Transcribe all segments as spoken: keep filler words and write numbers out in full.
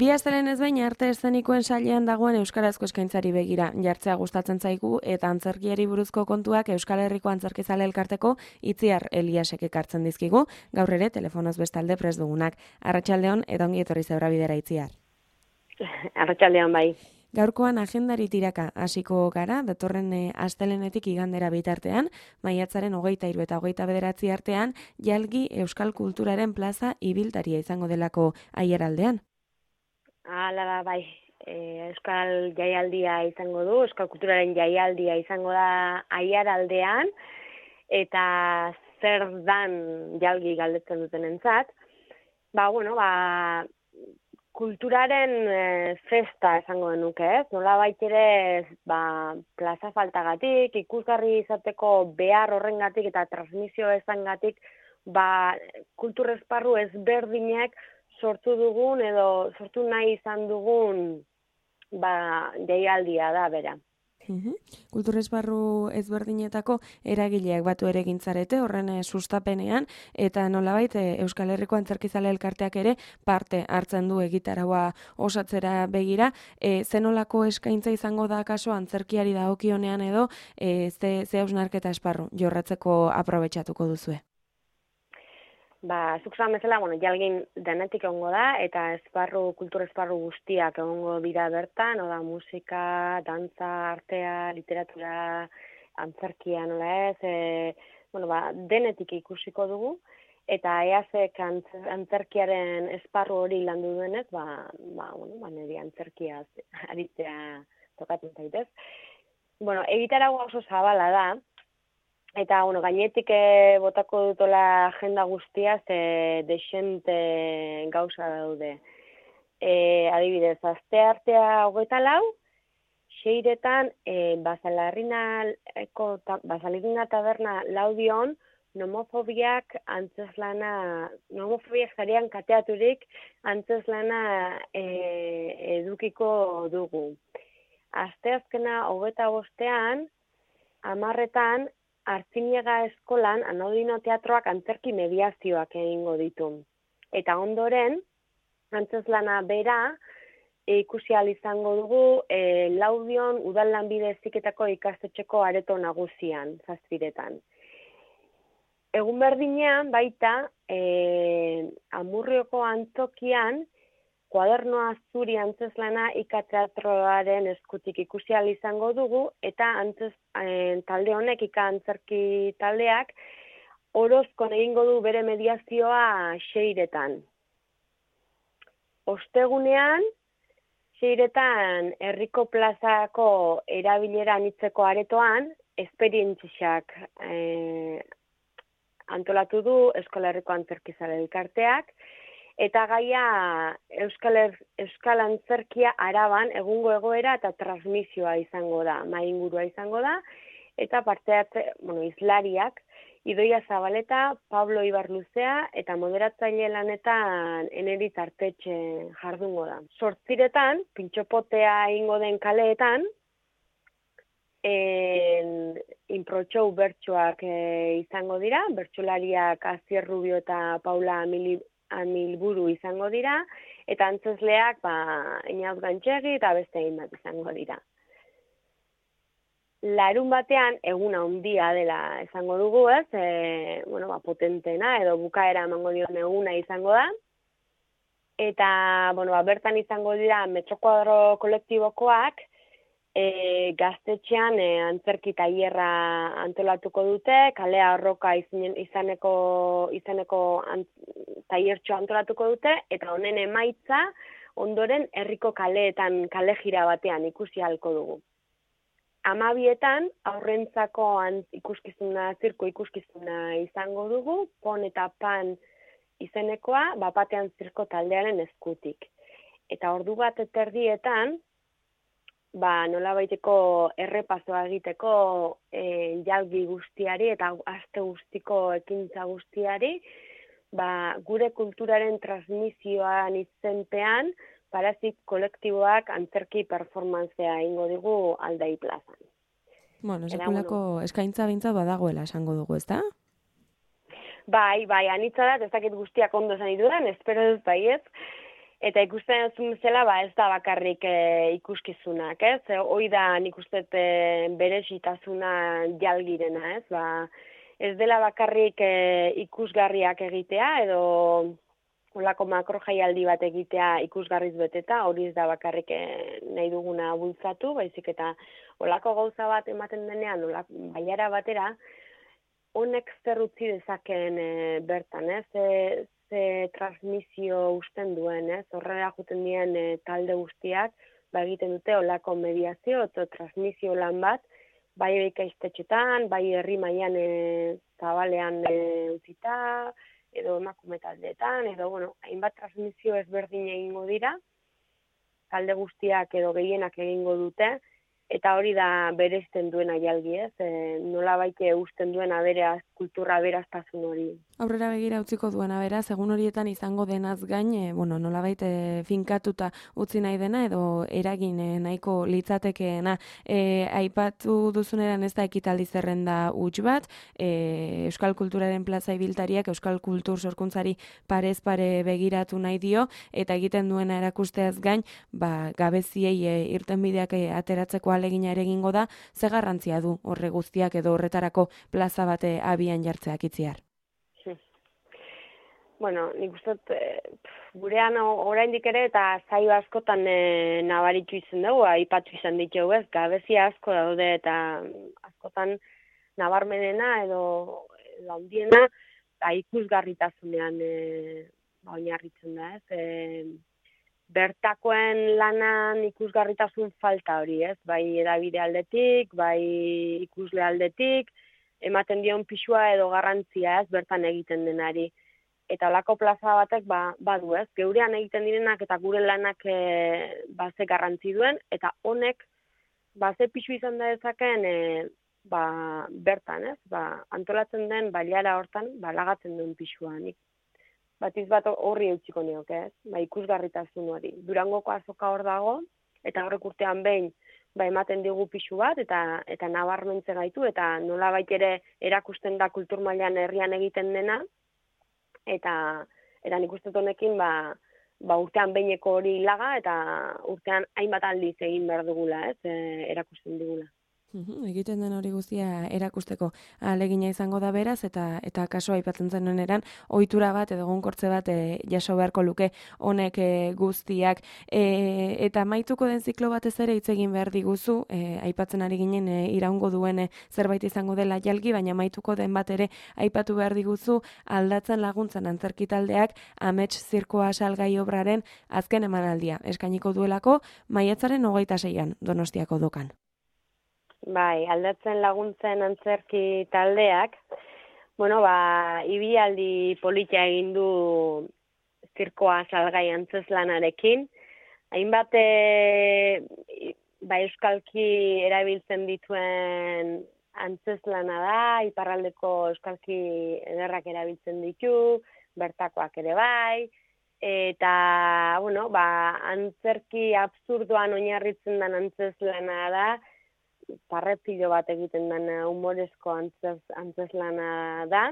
Bi astelen ez behin arte eszenikoen sailean dagoen euskarazko eskaintzari begira jartzea gustatzen zaigu eta antzerkiari buruzko kontuak Euskal Herriko Antzerkizale Elkarteko Itziar Eliasek ekartzen dizkigu, gaur ere telefonoz bestalde prest dugunak. Arratsaldeon eta ongi etorri Zeura Bidera, Itziar. Arratsaldeon bai. Gaurkoan agendari tiraka hasiko gara, datorren e, astelenetik igandera bitartean, maiatzaren hogeita hiru eta hogeita bederatzi artean, jalgi Euskal Kulturaren plaza ibiltaria izango delako Aiaraldean. Hala da bai, e, Euskal Jaialdia izango du, Euskal Kulturaren Jaialdia izango da Aiaraldean, eta zer dan jalgi galdetzen dutenentzat. Ba, bueno, ba, kulturaren e, festa esango denuke, ez? Nola ere ba, plaza faltagatik, ikusgarri izateko behar horrengatik eta transmisio ezangatik, ba, kultur esparru ezberdinek sortu dugun edo sortu nahi izan dugun ba, jaialdia da bera. Uhum. Kultur esparru ezberdinetako eragileak batu ere gintzarete horren e, sustapenean eta nolabait e, Euskal Herriko Antzerkizale Elkarteak ere parte hartzen du egitaraua osatzera begira. E, zenolako eskaintza izango da kaso antzerkiari dagokionean edo e, ze, ze hausnarketa esparru jorratzeko aprobetxatuko duzue? Ba, zuk zan bezala, bueno, jalgin denetik egongo da, eta esparru, kultur esparru guztiak egongo dira bertan, oda musika, dantza, artea, literatura, antzerkia, nola ez, e, bueno, ba, denetik ikusiko dugu, eta eazek antzerkiaren esparru hori landu duenez, ba, ba, bueno, ba, niri antzerkia aritzea tokatzen zaitez. Bueno, egitaragoa oso zabala da, eta, bueno, gainetik e, botako dutola agenda guztia, ze desente gauza daude. E, adibidez, aste artea hogeita lau, seiretan, e, Basalarrina taberna laudion, nomofobiak antzeslana, nomofobiak zarean kateaturik antzeslana e, edukiko dugu. Aste azkena hogeita bostean, amarretan, Artziniega eskolan Anodino Teatroak antzerki mediazioak egingo ditu. Eta ondoren, antzeslana bera, e, ikusi ahal izango dugu e, Laudion udal lanbide heziketako ikastetxeko areto nagusian, zazpiretan. Egun berdinean, baita, e, Amurrioko antzokian, Kuadernoa zuri antzeslana ikateatroaren eskutik ikusi ahal izango dugu, eta antzes, e, talde honek, ika antzerki taldeak, Orozkon egingo du bere mediazioa seiretan. Ostegunean, seiretan herriko plazako erabilera anitzeko aretoan, esperientziak e, antolatu du Euskal Herriko Antzerkizale Elkarteak, eta gaia Euskal, er, Euskal Antzerkia Araban egungo egoera eta transmisioa izango da, maingurua izango da, eta parteat, bueno, izlariak, Idoia Zabaleta, Pablo Ibarluzea eta moderatzaile lanetan Eneritz Artetxe jardungo da. Sortziretan, pintxopotea egingo den kaleetan, en, inprotxou bertsoak e, izango dira, bertsolariak Azier Rubio eta Paula Amili Amilburu izango dira, eta antzesleak ba, Inauz Gantxegi eta beste egin bat izango dira. Larun batean, eguna handia dela izango dugu, ez? E, bueno, ba, potentena edo bukaera emango dion eguna izango da. Eta, bueno, ba, bertan izango dira Metrokuadro kolektibokoak, E, gaztetxean e, antzerki tailerra antolatuko dute, kalea arroka izan, izaneko, izaneko ant, tailertxo antolatuko dute, eta honen emaitza ondoren herriko kaleetan kale jira batean ikusi ahalko dugu. Amabietan aurrentzako ant, ikuskizuna, zirko ikuskizuna izango dugu, pon eta pan izenekoa, bapatean zirko taldearen eskutik. Eta ordu bat eterdietan, ba, nola baiteko errepasoa egiteko e, jalgi guztiari eta aste guztiko ekintza guztiari, ba, gure kulturaren transmisioan izenpean, Parazik kolektiboak antzerki performantzea ingo digu Aldai plazan. Bueno, sekulako bueno, eskaintza bintza badagoela esango dugu, ezta? Bai, bai, anitza da, ez dakit guztiak ondo esan dudan, espero dut bai ez. Eta ikusten zuen zela, ba, ez da bakarrik e, ikuskizunak, ez? E, hoi da nik uste e, berezitasuna jalgirena, ez? Ba, ez dela bakarrik e, ikusgarriak egitea, edo olako makro jaialdi bat egitea ikusgarriz beteta, hori ez da bakarrik nahi duguna bultzatu, baizik eta olako gauza bat ematen denean, olako baiara batera, honek zer utzi dezakeen e, bertan, ez? Ze, ze transmisio usten duen, ez? Horrela juten dien e, talde guztiak, ba egiten dute olako mediazio, eta transmisio lan bat, bai ikaistetxetan, bai herri mailan e, zabalean e, utzita, edo emakume taldeetan, edo, bueno, hainbat transmisio ezberdin egingo dira, talde guztiak edo gehienak egingo dute, eta hori da bereizten duena jalgi, ez? E, nola baite usten duena beraz, kultura beraztasun hori. Aurrera begira utziko duena beraz, egun horietan izango denaz gain, e, bueno, nolabait e, finkatuta utzi nahi dena edo eragin e, nahiko litzatekeena. E, aipatu duzuneran ez da ekitaldi zerrenda huts bat, e, Euskal Kulturaren plaza ibiltariak Euskal Kultur sorkuntzari parez pare begiratu nahi dio, eta egiten duena erakusteaz gain, ba, gabeziei e, irtenbideak e, ateratzeko alegina ere egingo da, ze garrantzia du horre guztiak edo horretarako plaza bate abian jartzeak itziar? Bueno, nik uste e, gurean oraindik ere eta zaio askotan e, nabaritu izan dugu, aipatu izan ditugu, ez, gabezia asko daude eta askotan nabarmenena edo handiena ba, ikusgarritasunean e, ba, oinarritzen da, ez. E, bertakoen lanan ikusgarritasun falta hori, ez, bai edabide aldetik, bai ikusle aldetik, ematen dion pisua edo garrantzia, ez, bertan egiten denari. Eta olako plaza batek ba, badu, ez, geurean egiten direnak eta gure lanak e, ba, ze garrantzi duen, eta honek ba, ze pisu izan da dezaken e, ba, bertan, ez, ba, antolatzen den bailara hortan, ba, lagatzen duen pisua. Nik batiz bat horri eutxiko nioke, ez, ba, ikusgarritasun hori. Durangoko azoka hor dago, eta horrek urtean behin ba, ematen digu pisu bat, eta eta nabarmentze gaitu, eta nolabait ere erakusten da kultur mailan herrian egiten dena, eta eta nik uste honekin ba, ba urtean behineko hori laga eta urtean hainbat aldiz egin behar dugula, ez, e, erakusten dugula. Uhum, egiten den hori guztia erakusteko ahalegina izango da beraz, eta eta kaso aipatzen zenuen eran, ohitura bat edo egonkortze bat e, jaso beharko luke honek e, guztiak. E, eta maituko den ziklo batez ere hitz egin behar diguzu, e, aipatzen ari ginen e, iraungo duen e, zerbait izango dela jalgi, baina maituko den bat ere aipatu behar diguzu, aldatzen laguntzan antzerkitaldeak amets zirkoa salgai obraren azken emanaldia eskainiko duelako maiatzaren hogeita seian Donostiako dokan. Bai, aldatzen laguntzen antzerki taldeak, bueno, ba, ibilaldi politia egin du zirkoa salgai antzeslanarekin. Hainbat e, ba, euskalki erabiltzen dituen antzeslana da, iparraldeko euskalki ederrak erabiltzen ditu, bertakoak ere bai, eta, bueno, ba, antzerki absurdoan oinarritzen den antzeslana da, parrepilo bat egiten den humorezko antzes, antzeslana da.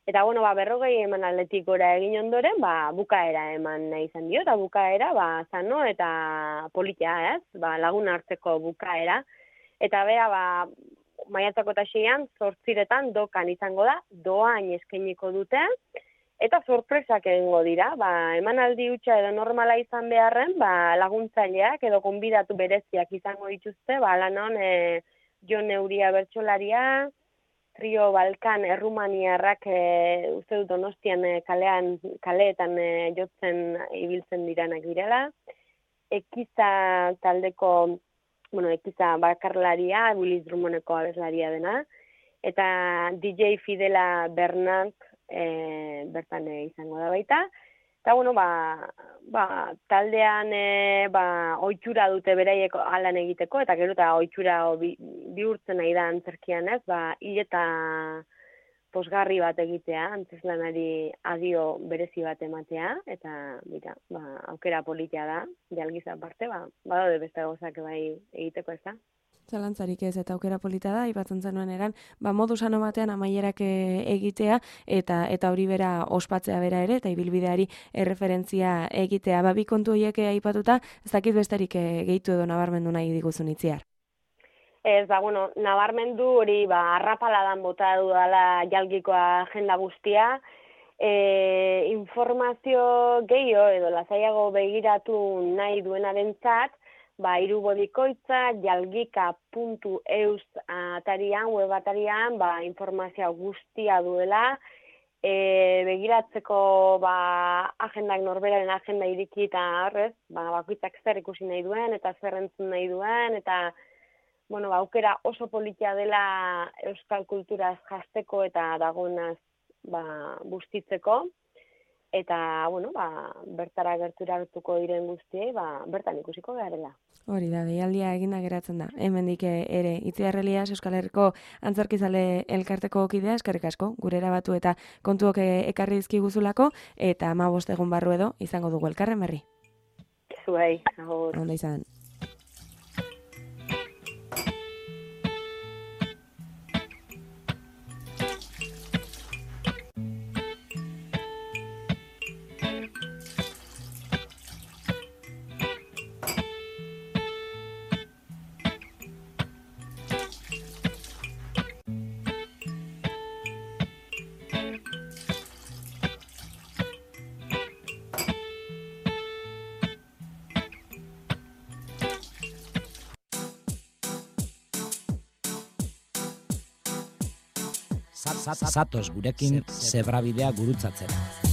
Eta, bueno, ba, berrogei eman aldetik gora egin ondoren, ba, bukaera eman nahi izan dio, eta bukaera, ba, zano eta politia, ez? Ba, lagun hartzeko bukaera. Eta bea, ba, maiatzako eta seian, zortziretan dokan izango da, doain eskainiko dute, eta sorpresak egingo dira, ba, emanaldi hutsa edo normala izan beharren, ba, laguntzaileak edo gonbidatu bereziak izango dituzte, ba, lanon e, Jon Neuria bertsolaria, Trio Balkan errumaniarrak e, uste dut Donostian e, kalean, kaleetan e, jotzen ibiltzen diranak direla, Ekiza taldeko, bueno, Ekiza bakarlaria, Willis Drummondeko abeslaria dena, eta D J Fidela Bernat, E, bertan e, izango da baita. Eta, bueno, ba, ba, taldean e, ba, ohitura dute beraiek alan egiteko, eta gero eta ohitura bi, bihurtzen nahi da antzerkian, ez, ba, hil eta posgarri bat egitea, antzeslanari adio berezi bat ematea, eta, mira, ba, aukera politia da, jalgiz aparte, ba, badaude beste gozak bai egiteko ez da. Zalantzarik ez, eta aukera polita da, aipatzen zenuen eran, ba, modu sano batean amaierak egitea, eta eta hori bera ospatzea bera ere, eta ibilbideari erreferentzia egitea. Ba, bi kontu horiek aipatuta, ez dakit besterik gehitu edo nabarmendu nahi diguzun itziar. Ez, ba, bueno, nabarmendu hori, ba, arrapaladan bota dudala jalgikoa agenda guztia, e, informazio gehiago edo lasaiago begiratu nahi duenarentzat, ba, irubodikoitza jalgika puntu eus atarian, web atarian, ba, informazio guztia duela, e, begiratzeko ba, agendak norberaren agenda iriki eta horrez, ba, bakoitzak zer ikusi nahi duen, eta zer entzun nahi duen, eta bueno, ba, aukera oso politia dela euskal kulturaz jasteko eta dagoenaz ba, bustitzeko. Eta, bueno, ba, bertara gerturatuko diren guztiei, ba, bertan ikusiko garela. Hori da, deialdia eginda geratzen da. Hemendik ere, Itziar Elias Euskal Herriko Antzerkizale elkarteko kidea, eskerrik asko, gure erabatu eta kontuok ekarri dizkiguzulako, eta hamabost egun barru edo izango dugu elkarren berri. Zuei, agur. Onda izan. Zatoz gurekin zebrabidea gurutzatzera.